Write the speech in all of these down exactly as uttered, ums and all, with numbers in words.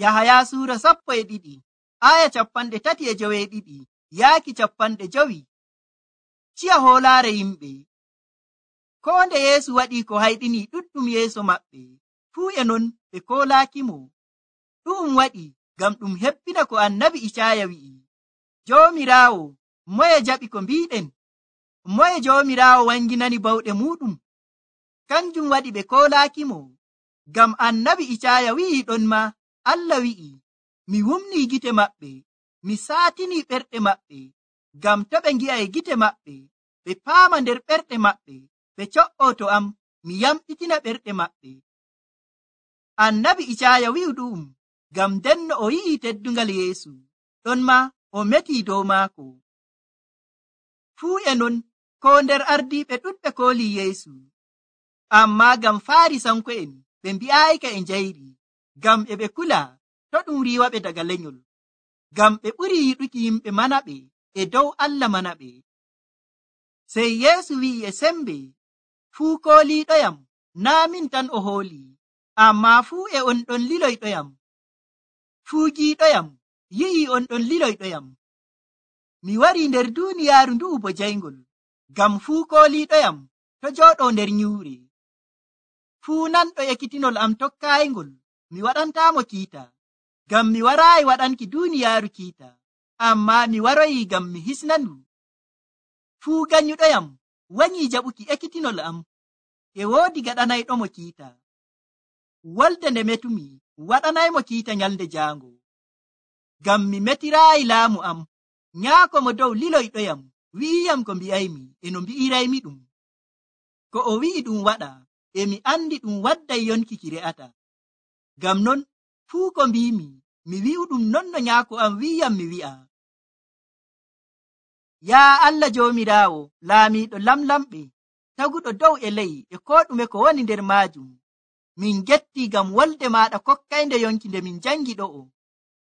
Yahaya suura sappo e ɗiɗi aya capanɗe tati e joweeɗiɗi yaaki capanɗe jowi. Ciya hoolaare yimɓe. Ko nde Yeesu waɗii ko hayɗini ɗuɗɗum yeeso maɓɓe, fuu e non ɓe koolaakimo. Ɗu'um waɗi ngam ɗum hebbina ko annabi Icaaya wi'i, Joomiraawo, moye jaɓi ko mbiiɗen? Moye Joomiraawo wanginani bawɗe muuɗum? Kanjum waɗi ɓe koolaakimo, ngam annabi Icaaya wi'i ɗon ma, Allah wi'i, mi wumnii gite maɓɓe, mi saatinii ɓerɗe maɓɓe, ngam to ɓe ngi'a e gite maɓɓe, ɓe paama nder ɓerɗe maɓɓe, ɓe co'oo to am, mi yamɗitina ɓerɗe maɓɓe. Annabi Icaaya wi'u ɗu'um ngam ndenno o yi'i teddungal Yeesu, ɗon ma o metii dow maako. Fuu e non koo nder ardiiɓe ɗuɗɓe koolii Yeesu, ammaa ngam Faarisanko'en ɓe mbi'aayika e njayri, ngam e ɓe kula to ɗum riiwaɓe daga lenyol, ngam ɓe ɓuri yiɗuki yimɓe manaɓe e dow Allah manaɓe. Sey Yeesu wi'i e sembe, fuu kooliiɗoyam, naa min tan o hoolii, ammaa fuu e on ɗon liloyɗoyam. Fuu giiɗoyam yi'ii on ɗon liloyɗoyam. Mi warii nder duuniyaaru ndu'u bo jayngol, ngam fuu kooliiɗoyam to jooɗoo nder nyuure. Fuu nanɗo ekkitinol am tokkaayngol, mi waɗantaamo kiita, ngam mi waraayi waɗanki duuniyaaru kiita, ammaa mi waroyi ngam mi hisnandu. Fuu ganyuɗoyam wanyii jaɓuki ekkitinol am, e woodi gaɗanayɗomo kiita. Wolde nde metumi waɗanaymo kiita nyalnde jaango, ngam mi metiraayi laamu am. Nyaako mo dow liloyɗoyam wi'iyam ko mbi'aymi e no mbi'iraymi ɗum. Ko o wi'i ɗum waɗa, e mi andi ɗum wadday yonki ki re'ata. Ngam non fuu ko mbimi, mi wi'u ɗum non no nyaako am wi'iyam mi wi'a. Yaa Allah Joomiraawo, laamiiɗo lamlamɓe, taguɗo dow e ley e koo ɗume ko woni nder maajum, min gettii ngam wolde maaɗa kokkaynde yonki nde min jangi ɗo'o.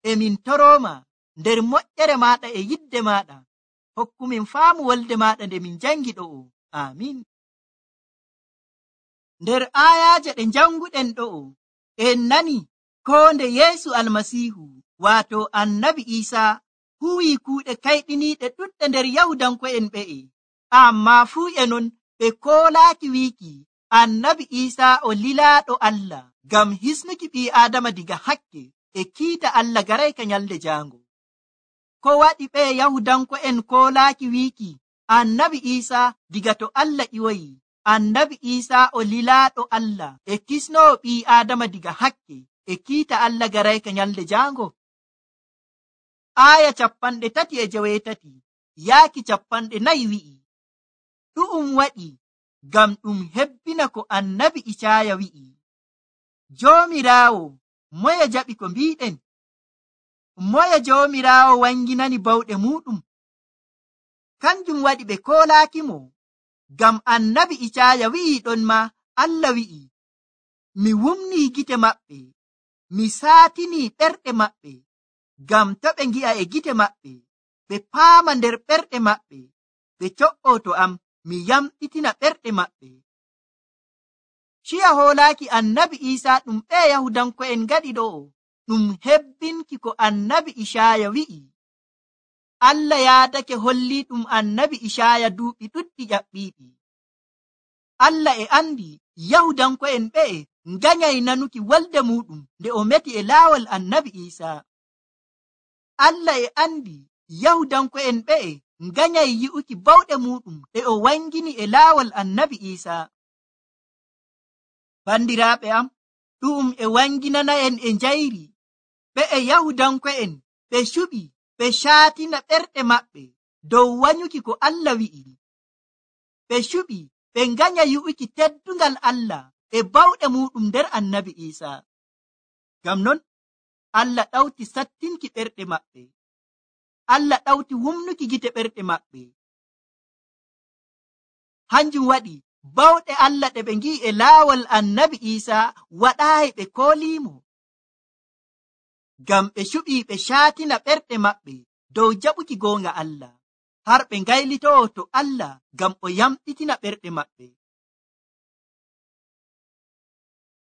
E min torooma nder moƴƴere maaɗa e yidde maaɗa, hokkumin faamu wolde maaɗa nde min jangi ɗo'o. Amin. Nder aayaaje ɗe janguɗen ɗo'o, en nani ko nde Yeesu Almasiihu, waato annabi Iisaa, huwii kuuɗe kayɗiniiɗe ɗuɗɗe nder Yahudanko'en ɓe'e, ammaa fuu e non ɓe koolaaki wiiki annabi Iisaa o lilaaɗo Allah, ngam hisnuki ɓii Aadama diga hakke e kiita Allah garayka nyalde jaango. Ko waɗi ɓe Yahudanko'en koolaaki wiiki annabi Iisaa diga to Allah ƴiwoyi, annabi Iisaa o lilaaɗo Allah e kisnoowo ɓii Aadama diga hakke e kiita Allah garayka nyalde jaango? Aaya capanɗe tati e joweetati yaaki capanɗe nayi wi'i, ɗu'um waɗi ngam ɗum hebbina ko annabi Icaaya wi'i, Joomiraawo, moye jaɓi ko mbiiɗen? Moye Joomiraawo wanginani bawɗe muuɗum? Kanjum waɗi ɓe koolaakimo, ngam annabi Icaaya wi'i ɗon ma, Allah wi'i, mi wumnii gite maɓɓe, mi saatinii ɓerɗe maɓɓe, ngam to ɓe ngi'a e gite maɓɓe, ɓe paama nder ɓerɗe maɓɓe, ɓe co'oo to am, mi yamɗitina ɓerɗe maɓɓe. Ciya hoolaaki annabi Iisaa ɗum ɓe Yahudanko'en ngaɗi ɗo'o, ɗum hebbinki ko annabi Icaaya wi'i. Allah yaadake hollii ɗum annabi Icaaya duuɓi ɗuɗɗi ƴaɓɓiiɗi. Allah e andi Yahudanko'en ɓe'e nganyay nanuki wolde muɗum nde o meti e laawol annabi Iisaa. Allah e andi Yahudanko'en ɓe'e nganyay yi'uki bawɗe muɗum ɗe o wangini e laawol annabi Iisaa. Bandiraaɓe am, ɗum e wanginana'en e njayri ɓe'e Yahudanko'en ɓe cuɓi ɓe caatina ɓerɗe maɓɓe dow wanyuki ko Allah wi'i. Ɓe cuɓi ɓe nganya yi'uki teddungal Allah e bawɗe muɗum nder annabi Iisaa. Ngam non Allah ɗawti sattinki ɓerɗe maɓɓe. Allah ɗawti wumnuki gite ɓerɗe maɓɓe. Hanjum waɗi bawɗe Allah ɗe ɓe ngi'i e laawol annabi Iisaa waɗaayi ɓe kooliimo, ngam ɓe cuɓii ɓe caatina ɓerɗe maɓɓe dow jaɓuki goonga Allah, har ɓe ngaylitoo to Allah ngam o yamɗitina ɓerɗe maɓɓe.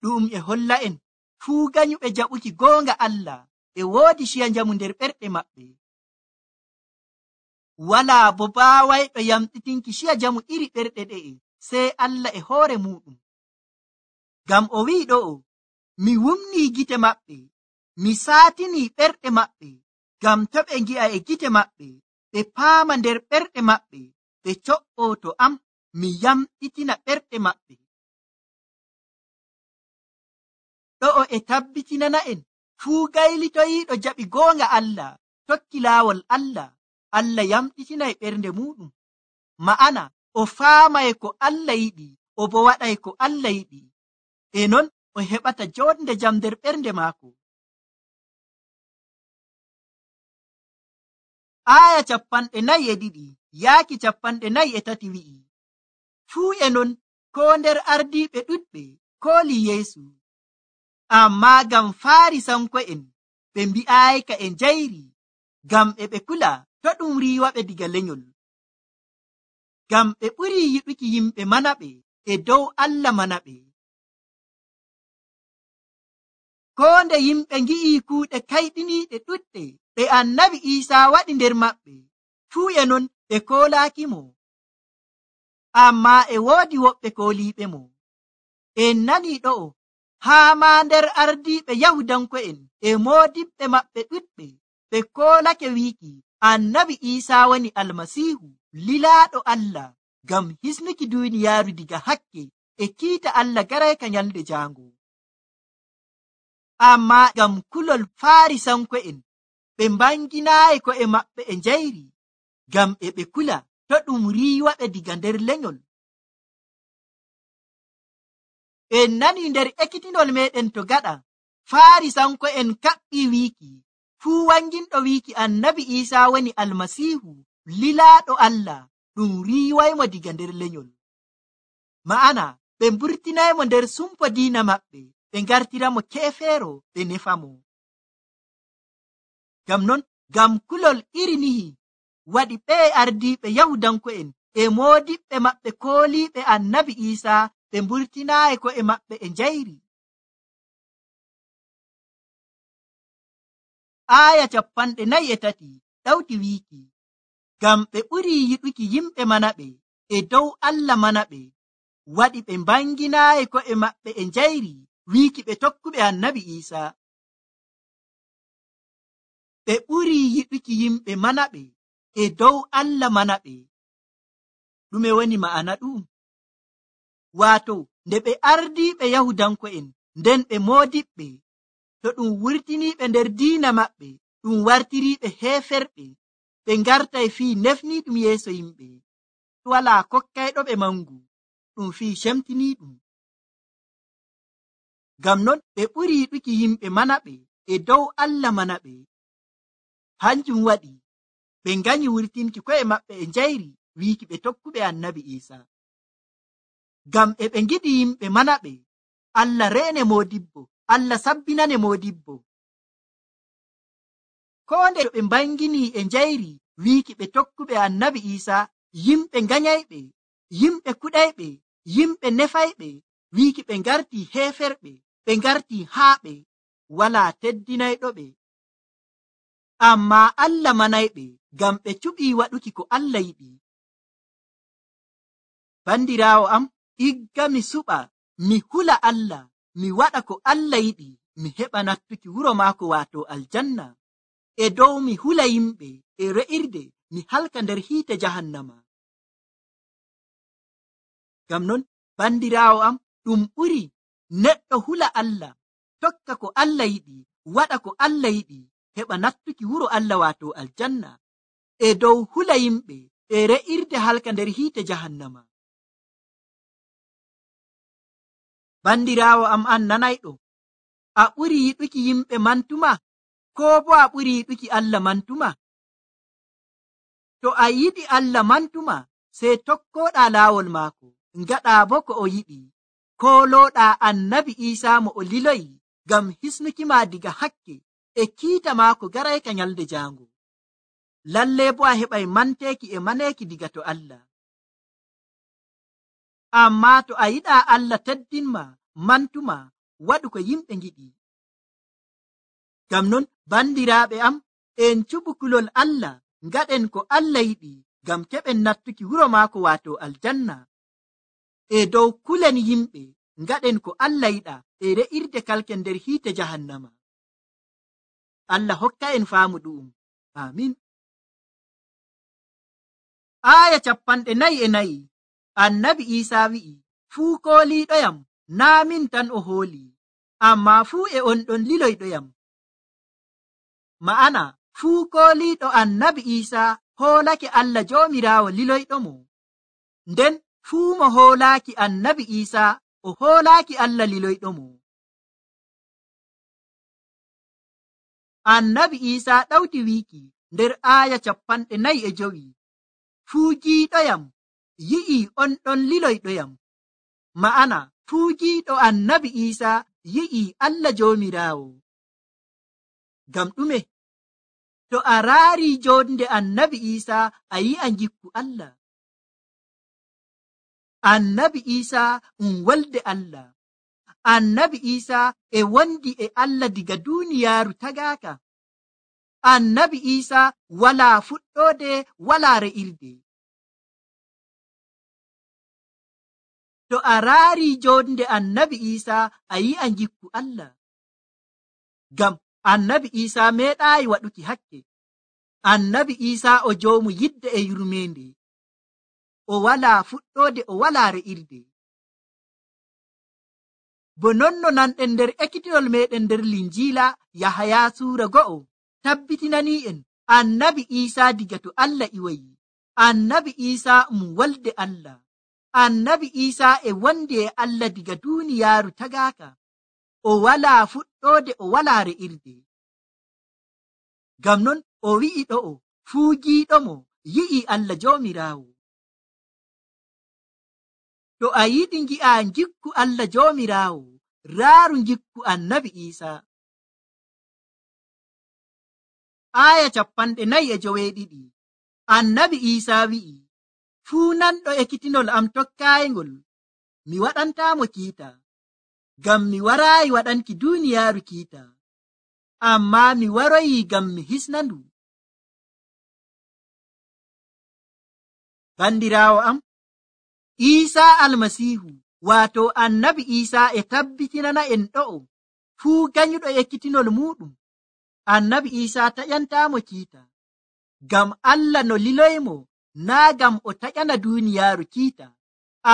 Ɗum e holla en fuu ganyuɓe jaɓuki goonga Allah e woodi ciya njamu nder ɓerɗe maɓɓe. Walaa bo baawayɗo yamɗitinki ciya njamu iri ɓerɗe ɗe'e sey Allah e hoore muɗum. Ngam o wi'i ɗo'o, mi wumnii gite maɓɓe, mi saatinii ɓerɗe maɓɓe, ngam to ɓe ngi'a e gite maɓɓe, ɓe paama nder ɓerɗe maɓɓe, ɓe co'oo to am, mi yamɗitina ɓerɗe maɓɓe. Ɗo'o e tabbitinana'en fuu gaylitoyiiɗo jaɓi goonga Allah, tokki laawol Allah, Allah yamɗitinay ɓernde muɗum. Ma'ana o faamay ko Allah yiɗi, o bo waɗay ko Allah yiɗi, e non o heɓata jonde jam nder ɓernde maako. Aya capanɗe nayi e ɗiɗi yaaki capanɗe nayi e tati wi'i, fuu e non koo nder ardiiɓe ɗuɗɓe koolii Yeesu, ammaa ngam Faarisanko'en ɓe mbi'aayika e njayri, ngam e ɓe kula to ɗum riiwaɓe diga lenyol. Ngam ɓe ɓurii yiɗuki yimɓe manaɓe e dow Allah manaɓe. Koo nde yimɓe ngi'ii kuuɗe kayɗiniiɗe ɗuɗɗe ɗe Annabi Iisaa waɗi nder maɓɓe, fuu e non ɓe koolaakimo, ammaa e woodi woɓɓe kooliiɓe mo. En nanii ɗo'o, haa maa nder ardiiɓe Yahudanko'en e moodiɓɓe maɓɓe ɗuɗɓe ɓe koolake wiiki Annabi Iisaa woni Almasiihu, lilaaɗo Allah, ngam hisnuki duuniyaaru diga hakke e kiita Allah garayka nyalde jaango. Ammaa ngam kulol Faarisanko'en ɓe mbanginaayi ko'e maɓɓe e njayri, ngam e ɓe kula to ɗum riiwaɓe diga nder lenyol. En nanii nder ekkitinol meɗen to gaɗa, Faarisanko'en kaɓɓii wiiki fuu wanginɗo wiiki Annabi Iisaa woni Almasiihu, lilaaɗo Allah, ɗum riiwaymo diga nder lenyol. Ma'ana ɓe mburtinaymo nder sumpo diina maɓɓe, ɓe ngartiramo keefeero ɓe nefamo. Ngam non, ngam kulol iri nihi waɗi ɓee ardiiɓe Yahudanko'en e moodiɓɓe maɓɓe kooliiɓe Annabi Iisaa ɓe mburtinaayi ko'e maɓɓe e njayri. Aya capanɗe nayi e tati ɗawti wiiki, ngam ɓe ɓurii yiɗuki yimɓe manaɓe e dow Allah manaɓe, waɗi ɓe mbanginaayi ko'e maɓɓe e njayri wiiki ɓe tokkuɓe Annabi Iisaa. Ɓe ɓurii yiɗuki yimɓe manaɓe e dow Allah manaɓe. Ɗume woni ma'ana ɗum? Waato, nde ɓe ardiiɓe Yahudanko'en nden ɓe moodiɓɓe, to ɗum wurtiniiɓe nder diina maɓɓe, ɗum wartiriiɓe heeferɓe, ɓe ngartay fii nefniiɗum yeeso yimɓe, walaa kokkayɗo ɓe mangu, ɗum fii cemtiniiɗum. Ngam non ɓe ɓuri yiɗuki yimɓe manaɓe e dow Allah manaɓe. Hanjum waɗi ɓe nganyi wurtinki ko'e maɓɓe e njayri wiiki ɓe tokkuɓe Annabi Iisaa. Ngam e ɓe ngiɗi yimɓe manaɓe, Allah reene moodibbo, Allah sabbinane moodibbo. Koo nde ɓe mbanginii e njayri wiiki ɓe tokkuɓe Annabi Iisaa, yimɓe nganyayɓe, yimɓe kuɗayɓe, yimɓe nefayɓe, wiiki ɓe ngartii heeferɓe, ɓe ngartii haaɓe, walaa teddinayɗoɓe. Ammaa Allah manayɓe, ngam ɓe cuɓii waɗuki ko Allah yiɗi. Bandiraawo am, igga mi suɓa, mi hula Allah, mi waɗa ko Allah yiɗi, mi heɓa nattuki wuro maako waato aljanna, e dow mi hula yimɓe e re'irde mi halka nder hiite jahannama. Ngam non, bandiraawo am, ɗum ɓuri neɗɗo hula Allah, tokka ko Allah yiɗi, waɗa ko Allah yiɗi, heɓa nattuki wuro Allah waato aljanna, e dow hula yimɓe e re'irde halka nder hiite jahannama. Bandiraawo am an nanayɗo, a ɓuri yiɗuki yimɓe mantuma, koo bo a ɓuri yiɗuki Allah mantuma? To a yiɗi Allah mantuma, sey tokkoɗaa laawol maako, ngaɗaa bo ko o yiɗi, koolooɗaa Annabi Iisaa mo o liloyi ngam hisnukima diga hakke e kiita maako garayka nyalde jaango. Lalle bo a heɓay manteeki e maneeki diga to Allah. Ammaa to a yiɗaa Allah teddinma mantuma, waɗu ko yimɓe ngiɗi, Ngam non bandiraaɓe am, en cuɓu kulol Allah, ngaɗen ko Allah yiɗi ngam keɓen nattuki wuro maako waato aljanna. E dow kulen yimɓe, ngaɗen ko Allah yiɗa e re'irde kalken nder hiite jahannama. Allah hokka en faamu ɗu'um. Amin. Aya capanɗe nayi e nayi. Annabi Isa wi'i, fuu kooliiɗoyam naa min tan o hooli, ammaa fuu e on ɗon liloyɗoyam. Ma'ana, fuu kooliiɗo annabi Isa hoolake Allah Joomiraawo liloyɗomo. Nden fuu mo hoolaaki annabi Isa o hoolaaki Allah liloyɗomo. Annabi Isa ɗawti wiiki nder aya capanɗe nayi e jowi, fuu jiiɗoyam yi'i on ɗon liloyɗoyam. Ma'ana, fuu jiiɗo annabi Isa yi'i Allah Joomiraawo. Ngam ɗume? To a raari jonde annabi Isa a yi'a jikku Allah. Annabi Isa um wolde Allah. Annabi Isa e wondi e Allah diga duniyaaru tagaaka. Annabi Isa walaa fuɗɗoode, walaa re'irde. To a raari jonde annabi Isa a yi'a jikku Allah. Ngam annabi Isa meeɗaayi waɗuki hakke. Annabi Isa o joomu yidde e yurmeende. O walaa fuɗɗoode, o walaa re'irde. Bo nonno nanɗen nder ekkitinol meɗen nder Linjiila Yahaya suura go'o tabbitinanii en annabi Isa diga to Allah iwayi. Annabi Isa um wolde Allah. Annabi Isa e wondi e Allah diga duniyaaru tagaaka. O walaa fuɗɗoode, o walaa re'irde. Ngam non o wi'i ɗo'o, fuu jiiɗomo yi'i Allah Joomiraawo. To a yiɗi ngi'a jikku Allah Joomiraawo, raaru jikku annabi Isa. Aya capanɗe nayi e joweeɗiɗi. Annabi Isa wi'i, fuu nanɗo ekkitinol am tokkaayngol, mi waɗantaamo kiita, ngam mi waraayi waɗanki duniyaaru kiita, ammaa mi waroyi ngam mi hisnandu. Bandiraawo am, Isa almasiihu waato annabi Isa e tabbitinana en ɗo'o, fuu ganyuɗo ekkitinol muɗum, annabi Isa taƴantaamo kiita, ngam Allah no liloymo naa ngam o taƴana duniyaaru kiita,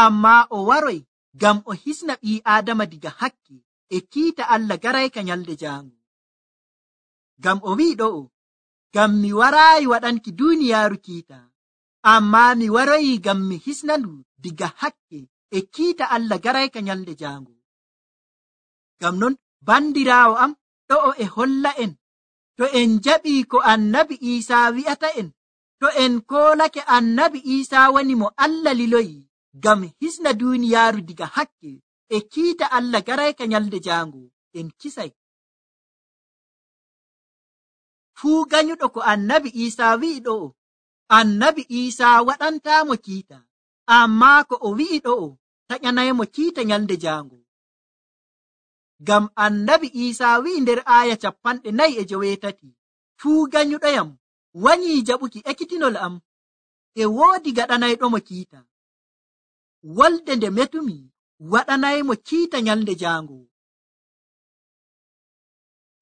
ammaa o waroy ngam o hisna ɓii Aadama diga hakke e kiita Allah garayka nyalde jaango. Ngam o wi'i ɗo'o, ngam mi waraayi waɗanki duniyaaru kiita, ammaa mi waroyi ngam mi hisnandu diga hakke e kiita Allah garayka nyalde jaango. Ngam non bandiraawo am, ɗo'o e holla en, to en jaɓii ko annabi Isa wi'ata en, to en koolake annabi Isa woni mo Allah liloyi ngam hisna duniyaaru diga hakke e kiita Allah garayka nyalde jaango, en kisay. Fuu ganyuɗo ko annabi Isa wi'i ɗo'o, annabi Isa waɗantaamo kiita, ammaa ko o wi'i ɗo'o taƴanaymo kiita nyalde jaango. Ngam annabi Isa wi'i nder aya capanɗe nayi e joweetati, fuu ganyuɗoyam wanyii jaɓuki ekkitinol am, e woodi gaɗanayɗomo kiita. Wolde nde metumi waɗanaymo kiita nyalde jaango.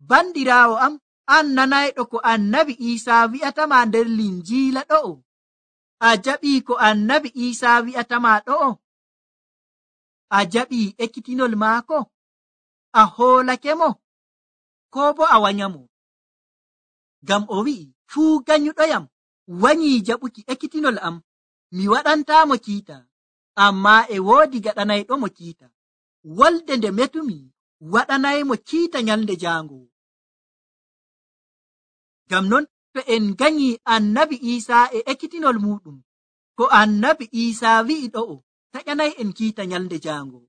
Bandiraawo am, an nanayɗo ko annabi Isa wi'atama nder Linjiila ɗo'o, a jaɓii ko annabi Isa wi'atama ɗo'o? A jaɓii ekkitinol maako? A hoolake mo? Ko bo a wanyamo? Ngam o wi'i, fuu ganyuɗoyam wanyii jaɓuki ekkitinol am, mi waɗantaamo kiita, ammaa e woodi gaɗanayɗomo kiita. Wolde nde metumi waɗanaymo kiita nyalde jaango. Ngam non to en ganyii annabi Isa e ekkitinol muɗum, ko annabi Isa wi'i ɗo'o taƴanay en kiita nyalde jaango.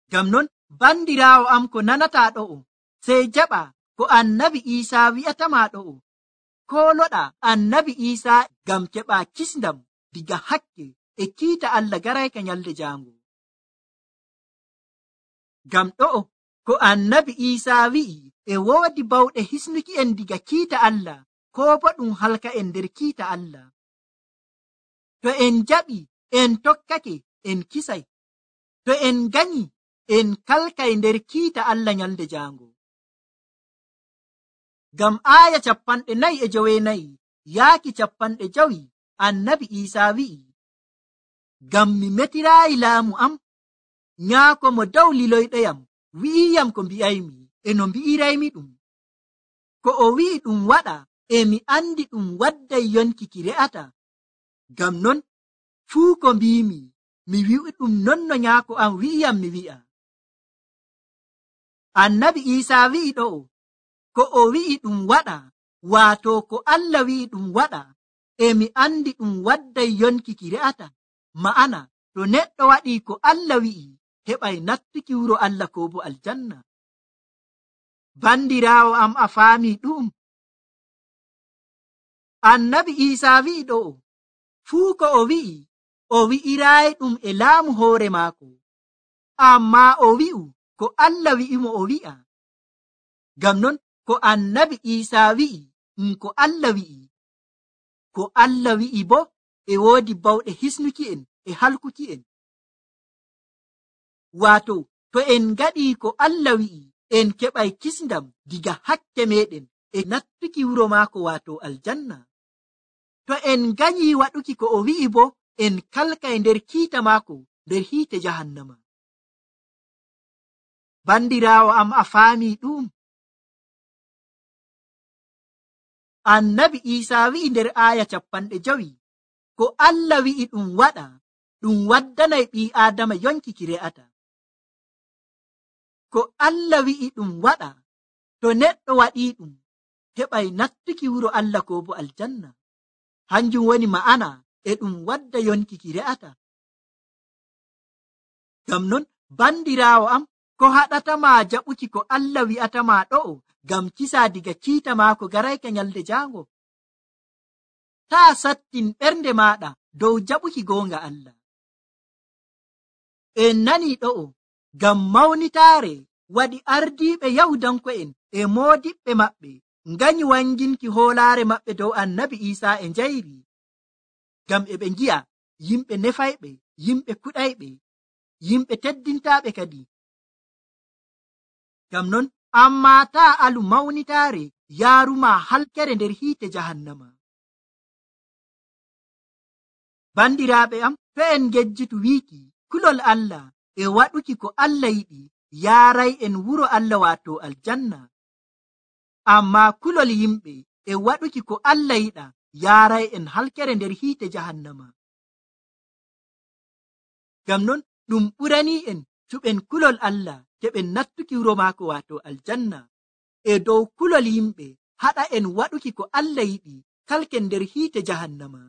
Ngam non bandiraawo am ko nanata ɗo'o, sey jaɓa ko annabi Isa wi'atama ɗo'o, kooloɗa annabi Isa ngam keɓa kisndam diga hakke e kiita Allah garayka nyalde jaango. Ngam ɗo'o ko annabi Iisaa wi'i e woodi bawɗe hisnuki en diga kiita Allah, koo bo ɗum halka en nder kiita Allah. To en jaɓi en tokkake en kisay, to en ganyi en kalkay nder kiita Allah nyalde jaango. Ngam aaya capanɗe nayi e joweenayi yaaki capanɗe jowi annabi Iisaa wi'i, ngam mi metiraayi laamu am, nyaako mo dow liloyɗoyam wi'iyam ko mbi'aymi e no mbi'iraymi ɗum. Ko o wi'i ɗum waɗa e mi andi ɗum wadday yonki ki re'ata. Ngam non fuu ko mbiimi mi wi'i ɗum non no nyaako am wi'iyam mi wi'a. Annabi Iisaa wi'i ɗo'o ko o wi'i ɗum waɗa, waato ko Allah wi'i ɗum waɗa e mi andi ɗum wadday yonki ki re'ata. Ma'ana to neɗɗo waɗi ko Allah wi'i heɓay nattuki wuro Allah ko bo aljanna. Bandiraawo am, a faami ɗum? Annabi Iisaa wi'i ɗo'o fuu ko o wi'i o wi'iraayi ɗum e laamu hoore maako, ammaa o wi'u ko Allah wi'imo o wi'a. Ngam non ko annabi Iisaa wi'i ɗum ko Allah wi'i. Ko Allah wi'i bo e woodi bawɗe hisnuki en e halkuki en. Waato to en ngaɗii ko Allah wi'i en keɓay kisndam diga hakke meɗen e nattuki wuro maako waato aljanna. To en ganyi waɗuki ko o wi'i bo en kalkay nder kiita maako nder hiite jahannama. Bandiraawo am, a faami ɗum? Annabi Iisaa wi'i nder aaya capanɗe jowi ko Allah wi'i ɗum waɗa ɗum waddanay ɓii Aadama yonki ki re'ata. Ko Allah wi'i ɗum waɗa to neɗɗo waɗii ɗum heɓay nattuki wuro Allah ko bo aljanna. Hanjum woni ma'ana e ɗum wadda yonki ki re'ata. Ngam non bandiraawo am, ko haɗatama jaɓuki ko Allah wi'atama ɗo'o ngam kisa diga kiita maako garayka nyalde jaango? Taa sattin ɓernde maɗa dow jaɓuki goonga Allah. En nani ɗo'o ngam mawnitaare waɗi ardiiɓe Yahudanko'en e moodiɓɓe maɓɓe nganyi wanginki hoolaare maɓɓe dow annabi Iisaa e njayri, ngam e ɓe ngi'a yimɓe nefayɓe, yimɓe kuɗayɓe, yimɓe teddintaaɓe kadi. Ngam non ammaa taa alu mawnitaare yaaruma halkere nder hiite jahannama. Bandiraaɓe am, to en ngejjitu wiiki kulol Allah e waɗuki ko Allah yiɗi yaaray en wuro Allah waato aljanna. Ammaa kulol yimɓe e waɗuki ko Allah yiɗa yaaray en halkere nder hiite jahannama. Ngam non ɗum ɓuranii en cuɓen kulol Allah keɓen nattuki wuro maako waato aljanna, e dow kulol yimɓe haɗa en waɗuki ko Allah yiɗi kalken nder hiite jahannama.